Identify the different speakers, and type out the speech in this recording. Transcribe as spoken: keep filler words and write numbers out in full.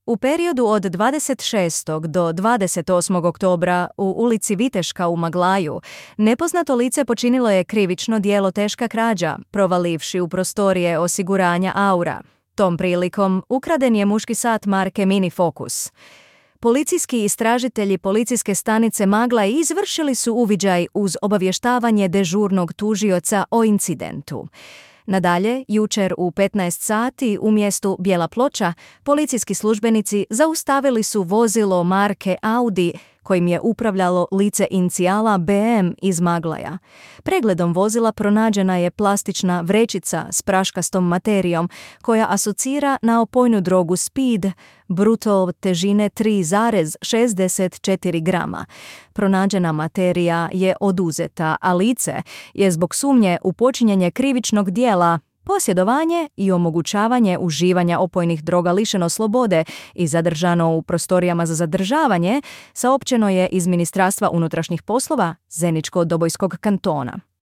Speaker 1: U periodu od dvadeset šestog do dvadeset osmog oktobra u ulici Viteška u Maglaju nepoznato lice počinilo je krivično djelo teška krađa, provalivši u prostorije osiguranja Aura. Tom prilikom ukraden je muški sat marke Mini Focus. Policijski istražitelji policijske stanice Maglaj izvršili su uviđaj uz obavještavanje dežurnog tužioca o incidentu. Nadalje, jučer u petnaest sati u mjestu Bijela Ploča policijski službenici zaustavili su vozilo marke Audi kojim je upravljalo lice inicijala B M iz Maglaja. Pregledom vozila pronađena je plastična vrećica s praškastom materijom koja asocira na opojnu drogu speed, bruto težine tri zarez šezdeset četiri grama. Pronađena materija je oduzeta, a lice je zbog sumnje u počinjenje krivičnog djela, posjedovanje i omogućavanje uživanja opojnih droga lišeno slobode i zadržano u prostorijama za zadržavanje, saopćeno je iz Ministarstva unutrašnjih poslova Zeničko-Dobojskog kantona.